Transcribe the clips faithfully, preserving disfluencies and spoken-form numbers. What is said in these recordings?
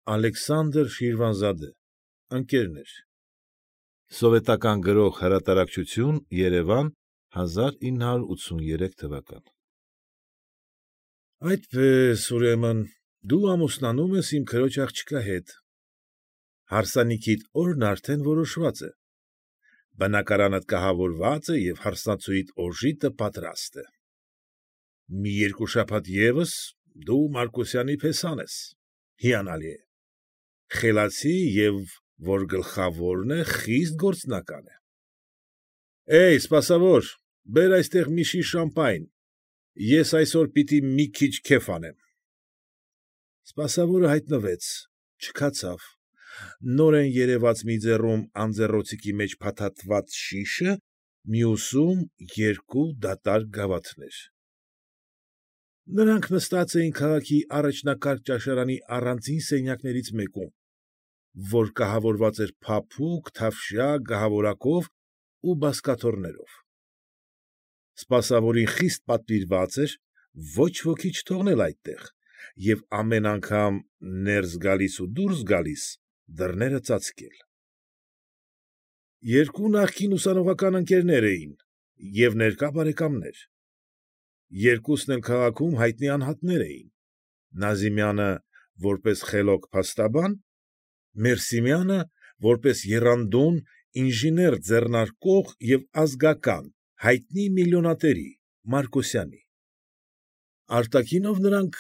Ալեքսանդր Շիրվանզադե, Ընկերներ Սովետական Գրող Հրատարակչություն, Երևան, հազար ինը հարյուր ութսուներեք թվական։ Այդպես, ուրեմն, դու ամուսնանում ես իմ քրոջ աղջկա հետ, հարսանիքիդ օրն արդեն որոշված է, բնակարանդ կահավորված է և հարսնացուիդ օժիտը պատրաստ է, մի երկու շաբաթ ևս դու Մարկոսյանի փեսան ես, հիանալի է, խելացի և, որ գլխավորն է, խիստ գործնական է։ Է՛յ, սպասավոր, բեր այստեղ մի շիշ շամպայն, ես այսօր պիտի մի քիչ քեֆ անեմ։ Սպասավորը հայտնվեց, չքացավ, նորեն երևաց մի ձեռում անձեռնոցիկի մեջ փաթաթված շիշը, մյուսում երկու դատարկ գավաթներ։ Նրանք նստած էին քաղաքի առաջնակարգ ճաշարանի առանձին սենյակներից մեկում, որ կահավորված էր փափուկ, թավշյա գահավորակով ու բազկաթոռներով։ Սպասավորին խիստ պատվիրված էր ոչ ոքի չթողնել այդտեղ և ամեն անգամ ներս գալիս ու դուրս գալիս դռները ծածկել։ Երկու նախկին ուսանողական ընկերներ էին և ներկա բարեկամներ, երկուսն էլ քաղաքում հայտնի անհատներ էին, Նազիմյանը որպես խելոք փաստաբան, Մերսիմյանը որպես եռանդուն ինժեներ ձեռնարկող և ազգական, հայտնի միլիոնատերի՝ Մարկոսյանի։ Արտաքինով նրանք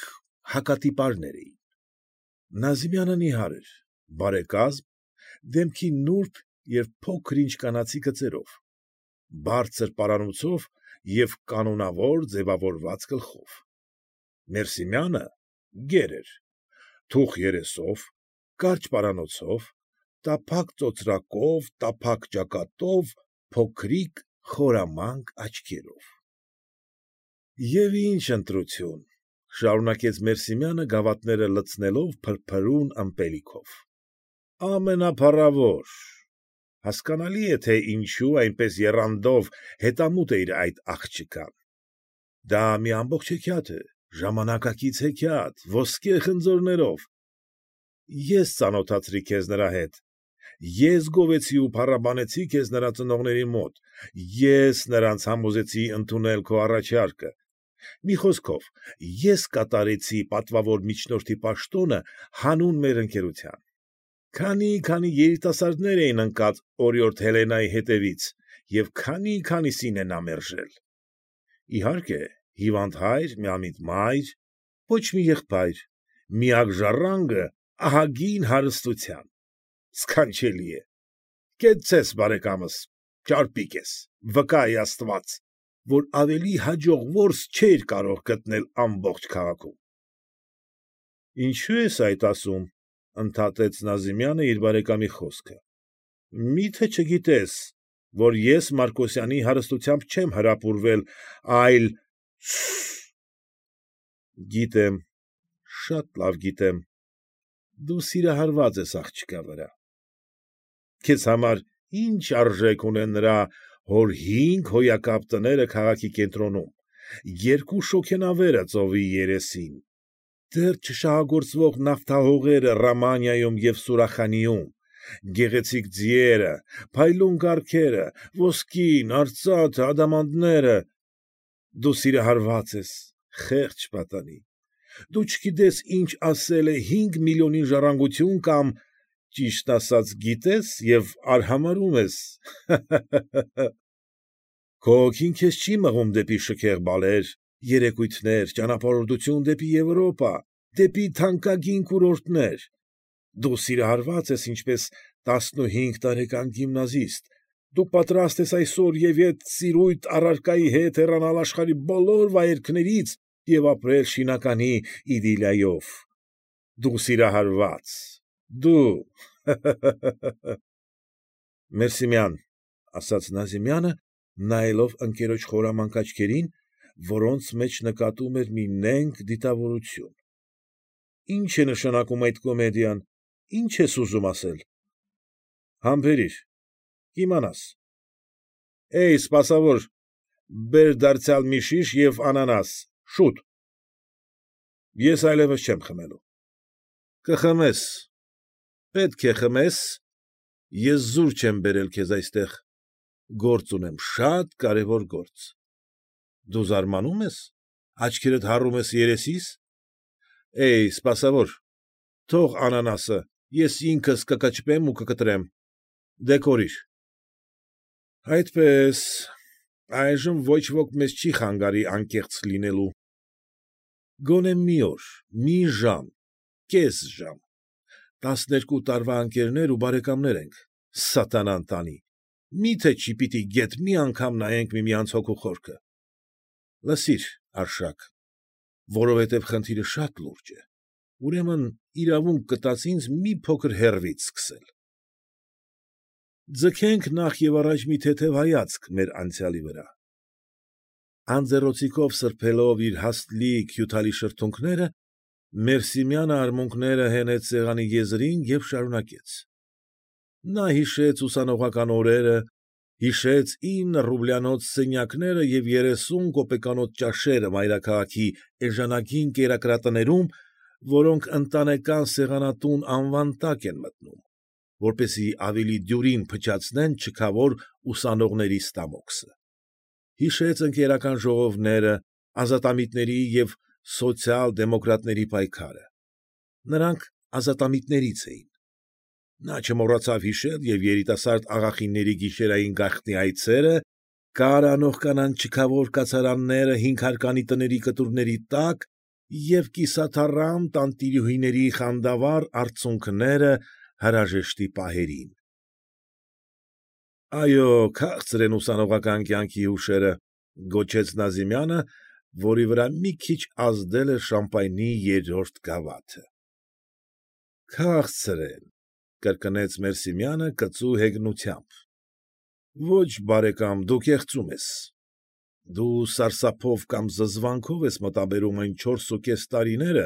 հակատիպարներ էին։ Նազիմյանը նիհար էր, բարեկազմ, դեմքի նուրբ և փոքր֊ինչ կանացի գծերով, բարձր պարանոցով և կանոնավոր ձևավորված գլխով, Մերսիմյանը գեր էր, թուխ երեսով, կարճ պարանոցով, տափակ ծոծրակով, տափակ ճակատով, փոքրիկ խորամանկ աչքերով։ ֊ Եվ ինչ ընտրություն,֊ շարունակեց Մերսիմյանը գավաթները լցնելով փրփրուն ըմպելիքով,֊ ամենափառավոր, հասկանալի է, թե ինչու այնպես եռանդով հետամուտ էիր այդ աղջկան, դա մի ամբողջ հեքիաթ է, ժամանակակից հեքիաթ, ոսկե խնձորներով, ես ծանոթացրի քեզ նրա հետ, ես գովեցի ու փառաբանեցի քեզ նրա ծնողների մոտ, ես նրանց համոզեցի ընդունել քո առաջարկը, մի խոսքով, ես կատարեցի պատվավոր միջնորդի պաշտոնը հանուն մեր ընկերության, քանի՛֊քանի երիտասարդներ էին ընկած օրիորդ Հելենայի հետևից և քանի՛֊քանիսին է նա մերժել։ Իհարկե, հիվանդ հայր, միամիտ մայր, ոչ մի եղբայր, միակ ժառանգը ահագին հարստության, սքանչելի է, կեցցես, բարեկամս, ճարպիկ ես, վկա է աստված, որ ավելի հաջող որս չէիր կարող գտնել ամբողջ քաղաքում։ ֊ Ինչո՞ւ ես այդ ասում,֊ ընդհատեց Նազիմյանը իր բարեկամի խոսքը,֊ մի՞թե չգիտես, որ ես Մարկոսյանի հարստությամբ չեմ հրապուրվել, այլ… Սը՜… Գիտեմ, շատ լավ գիտեմ, դու սիրահարված ես աղջկա վրա, քեզ համար ի՞նչ արժեք ունեն նրա հոր հինգ հոյակապ տները քաղաքի կենտրոնում, երկու շոգենավերը ծովի երեսին, դեռ չշահագործվող նավթահողերը Ռամանիայում և Սուրախանիում, գեղեցիկ ձիերը, փայլուն կառքերը, ոսկին, արծաթը, ադամանդները… Դու սիրահարված ես, խեղճ պատանի, դու չգիտես ինչ ասել է հինգ միլիոնին ժառանգություն կամ, ճիշտն ասած, գիտես և արհամարհում ես… Հը՛֊հը՛֊հը՛… Քո հոգին քեզ չի մղում դեպի շքեղ բալեր, երեկույթներ, ճանապարհորդություն դեպի Եվրոպա, դեպի թանկագին կուրորտներ… Դու սիրահարված ես ինչպես տասնուհինգ տարեկան գիմնազիստ, դու պատրաստ ես այսօր և ետ սիրույթ առարկայի հետ հեռանալ աշխարհի բոլոր վայրկներից և ապրել շինականի իդիլիայով… Դու սիրահարված… դու… Հը՛֊հը՛֊հը՛… Մերսիմյան,֊ ասաց Նազիմյանը, նայելով ընկերոջ խորամանկ աչքերին, որոնց մեջ նկատում էր մի նենգ դիտավորություն,֊ ի՞նչ է նշանակում այդ կոմեդիան, ի՞նչ ես ուզում ասել։ ֊ Համբերիր, կիմանաս։ ֊ Է՛յ, սպասավոր, բեր դարձյալ մի շիշ և անանաս, շուտ… Ես այլևս չեմ խմելու։ ֊ Կխմես, Պետք է խմես, ես զուր չեմ բերել քեզ այստեղ, գործ ունեմ, շատ կարևոր գործ։ Դու զարմանում ես, աչքերդ հառում ես երեսիս։ Էյ, սպասավոր, թող անանասը, ես ինքս կկճվեմ ու կկտրեմ, դե կորիր։ Այդպես, այժմ ոչ ոք մեզ չի խանգարի անկեղծ լինելու։ Գոնե մի օր, մի ժամ, կես ժամ, տասներկու տարվա ընկերներ ու բարեկամներ ենք, սատանան տանի, մի՞թե չի պիտի գեթ մի անգամ նայենք միմյանց հոգու խորքը։ Լսիր, Արշակ, որովհետև խնդիրը շատ լուրջ է, ուրեմն իրավունք կտաս ինձ մի փոքր հեռվից սկսել։ Ձգենք նախ և առաջ մի թեթև հայացք մեր անցյալի վրա։ Անձեռնոցիկով սրբելով իր հաստլիկ հյութալի շրթունքները, Մերսիմյանը արմունկները հենեց սեղանի եզրին և շարունակեց. Նա հիշեց ուսանողական օրերը, հիշեց ինը ռուբլյանոց սենյակները և երեսուն կոպեկանոց ճաշերը մայրաքաղաքի էժանագին կերակրատներում, որոնք ընտանեկան սեղանատուն անվան տակ են մտնում, որպեսզի ավելի դյուրին փչացնեն չքավոր ուսանողների ստամոքսը, հիշեց ընկերական ժողովները, ազատամիտների և սոցիալ֊դեմոկրատների պայքարը։ Նրանք ազատամիտներից էին։ Նա չմոռացավ հիշել և երիտասարդ աղախինների գիշերային գաղտնի այցերը, կար անող կանանց չքավոր կացարանները հինգհարկանի տների կտուրների տակ և կիսաթառամ տանտիրուհիների խանդավառ արցունքները հրաժեշտի պահերին։ Այո, քաղցր են ուսանողական կյանքի հուշերը, գոչեց Նազիմյանը, որի վրա մի քիչ ազդել էր շամպայնի երրորդ գավաթը։ Քաղցր են, կրկնեց Մերսիմյանը կծու հեգնությամբ։ Ոչ, բարեկամ, դու կեղծում ես։ Դու սարսափով կամ զզվանքով ես մտաբերում այն չորսուկես տարիները,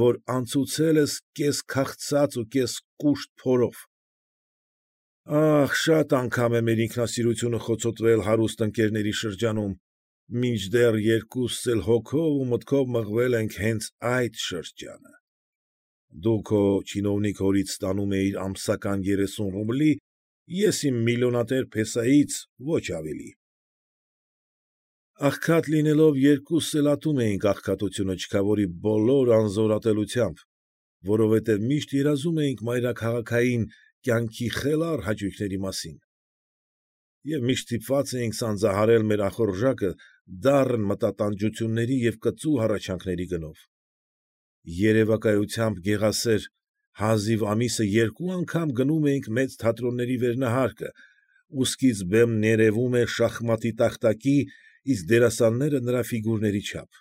որ անցուցել ես կես քաղցած ու կես կուշտ փորով։ Ախ, շատ անգամ է մեր ինքնասիրությունը խոցոտվել հարուստ ընկերների շրջանում, մինչդեռ երկուսս էլ հոգով ու մտքով մղվել ենք հենց այդ շրջանը։ Դու քո չինովնիկ հորից ստանում էիր ամսական երեսուն ռուբլի, ես իմ միլիոնատեր փեսայից ոչ ավելի։ Աղքատ լինելով երկուսս էլ ատում էինք աղքատությունը չքավորի բոլոր անզորատելությամբ, որովհետև միշտ երազում էինք մայրաքաղաքային կյանքի խելառ հաճույքների մասին, և միշտ ստիպված էինք սանձահարել մեր ախորժակը դառն մտատանջությունների և կծու հառաչանքների գնով։ Երևակայությամբ գեղասեր, հազիվ ամիսը երկու անգամ գնում էինք մեծ թատրոնների վերնահարկը, ուսքից բեմ ներևում էր շախմատի տախտակի, իսկ դերասանները նրա ֆիգուրների չափ։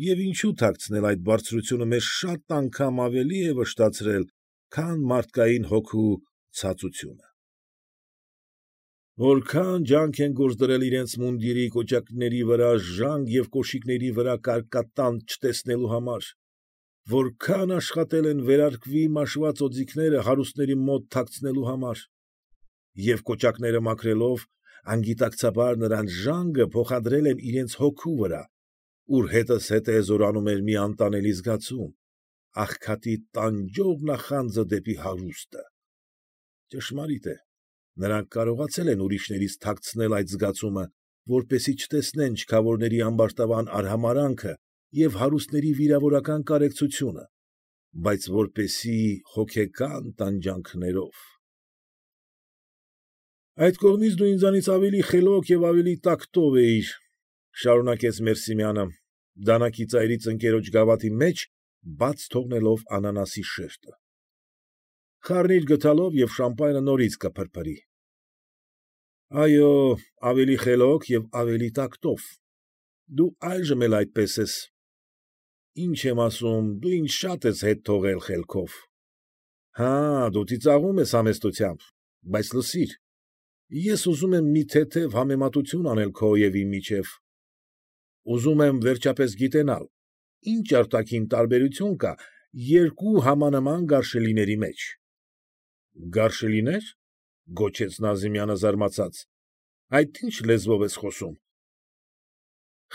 Եվ ինչու թաքցնել այդ բարձրությունը մեզ շատ անգամ ավելի է վշտացրել, քան մարդկային հոգու ցածությունը։ Որքան ջանք են գործ դրել իրենց մունդիրի կոճակների վրա ժանգ և կոշիկների վրա կարկատանդ չտեսնելու համար, որքան աշխատել են վերարկվի մաշված օձիքները հարուստների մոտ թաքցնելու համար, և կոճակները մաքրելով, անգիտակցաբար նրանց ժանգը փոխադրել են իրենց հոգու վրա, ուր հետզհետե զորանում էր մի անտանելի զգացում, աղքատի տանջող նախանձը դեպի հարուստը։ Ճշմարիտ է, նրանք կարողացել են ուրիշներից թաքցնել այդ զգացումը, որպեսզի չտեսնեն չքավորների ամբարտավան արհամարհանքը և հարուստների վիրավորական կարեկցությունը, բայց որպեսզի հոգեկան տանջանքներով։ Այդ կողմից դու ինձանից ավելի խելոք և ավելի տակտով էիր, շարունակեց Մերսիմյանը, դանակի ծայրից ընկերոջ գավաթի մեջ բաց թողնելով անանասի շերտը։ Խառնիր գդալով և շամպայնը նորից կփրփրի։ Այո, ավելի խելոք և ավելի տակտով։ Դու այժմ էլ այդպես ես։ Ինչ եմ ասում, դու ինձ շատ ես հետ թողել խելքով։ Հա՛, դու ծիծաղում ես համեստությամբ, բայց լսիր, ես ուզում եմ մի թեթև համեմատություն անել քո և իմ միջև։ Ուզում եմ վերջապես գիտենալ, ինչ արտաքին տարբերություն կա երկու համանման գարշելիների մեջ։ Գարշելի՞ներ, գոչեց Նազիմյանը զարմացած, այդ ի՞նչ լեզվով ես խոսում։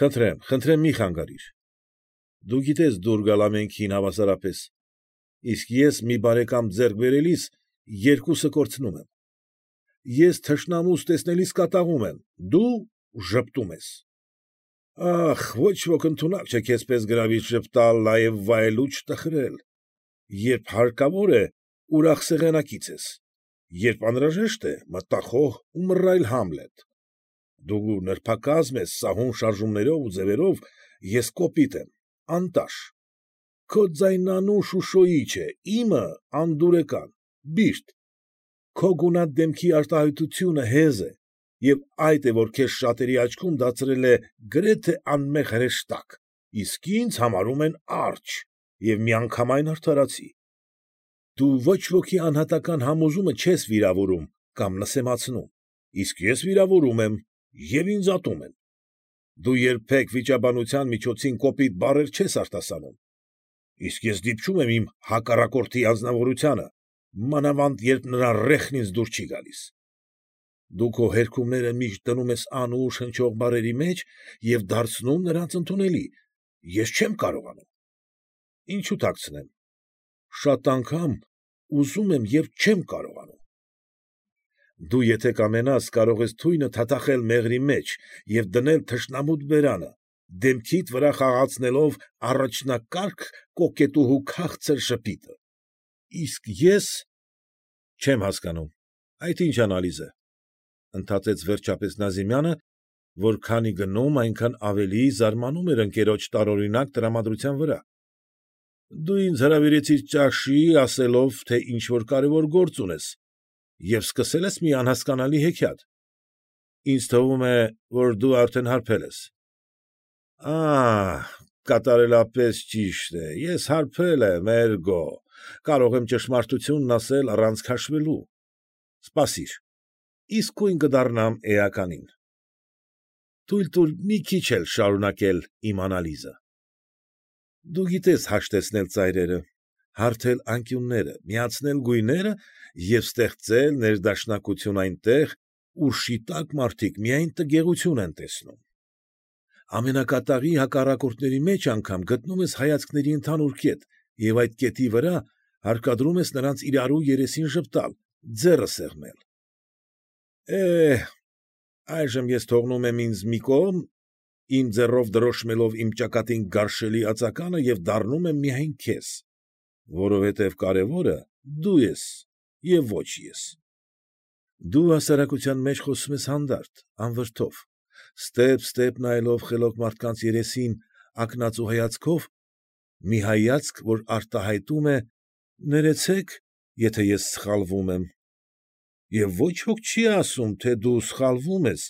Խնդրեմ, խնդրեմ մի խանգարիր։ Դու գիտես դուր գալ ամենքին հավասարապես։ իսկ ես մի բարեկամ ձեռք բերելիս երկուսը կորցնում եմ։ Ես թշնամուս տեսնելիս կատաղում եմ, դու ժպտում ես։ Ախ, ոչ ոք ընդունակ չէ քեզպես գրավիչ ժպտալ, նաև վայելուչ տխրել։ Երբ հարկավոր է, ուրախ սեղանակից ես, երբ անհրաժեշտ է, մտախոհ ու մռայլ Համլետ։ Դու նրբակազմ ես սահուն շարժումներով ու ձևերով, ես կոպիտ եմ, անտաշ։ Քո ձայնանուն շուշոիչ է, իմը անդուրեկան, բիրտ։ Քո գունատ դեմքի արտահայտությունը հեզ է, և այդ է, որ քեզ շատերի աչքում դարձրել է գրեթե անմեղ հրեշտակ, իսկ ինձ համարում են արջը և միանգամայն արդարացի։ Դու ոչ ոքի անհատական համոզումը չես վիրավորում կամ նսեմացնում, իսկ ես վիրավորում եմ և ինձ ատում են։ Դու երբեք վիճաբանության միջոցին կոպիտ բառեր չես արտասանում, իսկ ես դիպչում եմ իմ հակառակորդի անձնավորությանը, մանավանդ երբ նրա ռեխն ինձ դուր չի գալիս։ Դու քո հերքումները միշտ դնում ես անուշ հնչող բառերի մեջ և դարձնում նրանց ընդունելի, ես չեմ կարողանում։ Ինչո՞ւ թաքցնեմ, շատ անգամ ուզում եմ և չեմ կարողանում։ Դու եթե կամենաս, կարող ես թույնը թաթախել մեղրի մեջ և դնել թշնամուդ բերանը, դեմքիդ վրա խաղացնելով առաջնակարգ կոկետուհու քաղցր ժպիտը։ Իսկ ես… չեմ հասկանում, այդ ի՞նչ անալիզ է, ընդհատեց վերջապես Նազիմյանը, որքանի գնում, այնքան ավելի զարմանում էր ընկերոջ տարօրինակ տրամադրության վրա։ Դու ինձ հրավիրեցիր ճաշի, ասելով, թե ինչ֊որ կարևոր գործ ունես և սկսել ես մի անհասկանալի հեքիաթ։ Ինձ թվում է, որ դու արդեն հարբել ես։ Ա՛հ, կատարելապես ճիշտ է, ես հարբել եմ, էրգո, կարող եմ ճշմարտությունն ասել առանց քաշվելու։ Սպասիր, իսկույն կդառնամ էականին։ Թույլ տուր մի քիչ էլ շարունակել իմ անալիզը։ Դու գիտես հաշտեցնել ծայրերը, հարթել անկյունները, միացնել գույները և ստեղծել ներդաշնակություն այնտեղ, ուր շիտակ մարդիկ միայն տգեղություն են տեսնում։ Ամենակատաղի հակառակորդների մեջ անգամ գտնում ես հայացքների ընդհանուր կետ և այդ կետի վրա հարկադրում ես նրանց իրարու երեսին ժպտալ, ձեռը սեղմել։ Է՛հ, այժմ ես թողնում եմ ինձ մի կողմ, իմ ձեռով դրոշմելով իմ ճակատին գարշելի ածականը և դառնում եմ միայն քեզ, որովհետև կարևորը դու ես և ոչ ես։ Դու հասարակության մեջ խոսում ես հանդարտ, անվրդով, ստեպ֊ստեպ նայելով խելոք մարդկանց երեսին ակնածու հայացքով, մի հայացք, որ արտահայտում է. «Ներեցեք, եթե ես սխալվում եմ»։ Եվ ոչ ոք չի ասում, թե դու սխալվում ես,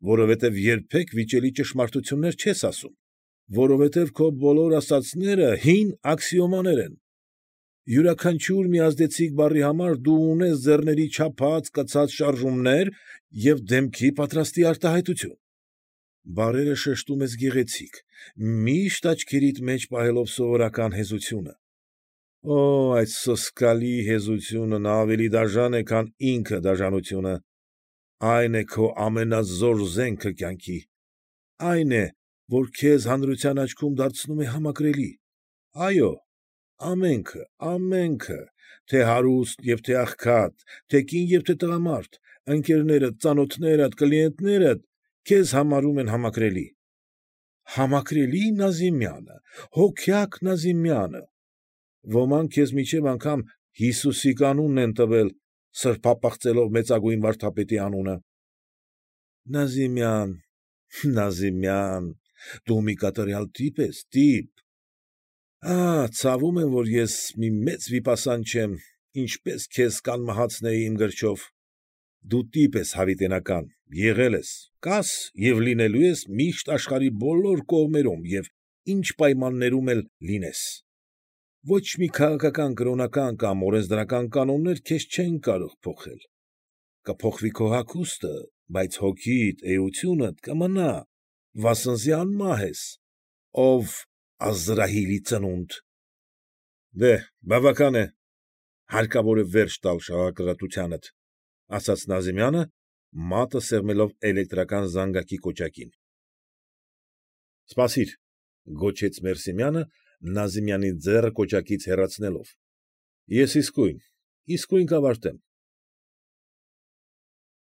որովհետև երբեք վիճելի ճշմարտություններ չես ասում, որովհետև քո բոլոր ասածները հին աքսիոմաներ են։ Յուրաքանչյուր մի ազդեցիկ բառի համար դու ունես ձեռների չափած, կցած շարժումներ և դեմքի պատրաստի արտահայտություն։ Բառերը շեշտում ես գեղեցիկ, միշտ աչքերիդ մեջ պահելով սովորական հեզությունը։ Օ՜, այդ սոսկալի հեզությունն ավելի դաժան է, քան ինքը դաժանությունը։ Այն է քո ամենազոր զենքը կյանքի։ Այն է, որ քեզ հանրության աչքում դարձնում է համակրելի։ Այո, ամենքը, ամենքը, թե հարուստ և թե աղքատ, թե կին և թե տղամարդ, ընկերներդ, ծանոթներդ, կլիենտներդ քեզ համարում են համակրելի։ Համակրելի Նազիմյանը, հոգյակ Նազիմյանը։ Ոմանք քեզ մինչև անգամ Հիսուսի կանունն են տվել, սրբապղծելով մեծագույն վարդապետի անունը։ Նազիմյան, Նազիմյան, դու մի կատարյալ տիպ ես, տիպ։ Ահ, ցավում եմ, որ ես մի մեծ վիպասան չեմ, ինչպես քեզ կանմահացնեի իմ գրչով։ Դու տիպ ես հավիտենական, եղել ես, կաս և լինելու ես միշտ աշխարհի բոլոր կողմերում և ինչ պայմաններում էլ լինես։ Ոչ մի քաղաքական, կրոնական կամ օրենսդրական կանոններ քեզ չեն կարող փոխել։ Կփոխվի քո հագուստը, բայց հոգիդ, էությունդ կմնա, վասնզի անմահ ես, ով Ազրահիլի ծնունդ։ Դե՛հ, բավական է, հարկավոր է վերջ տալ շաղակրատությանդ, ֊ ասաց Նազիմյանը, մատը սեղմելով էլեկտրական զանգակի կոճակին։ ֊ Սպասիր, ֊ գոչեց Մերսիմյանը, Նազիմյանի ձեռը կոճակից հեռացնելով։ Ես իսկույն, իսկույն կավարտեմ։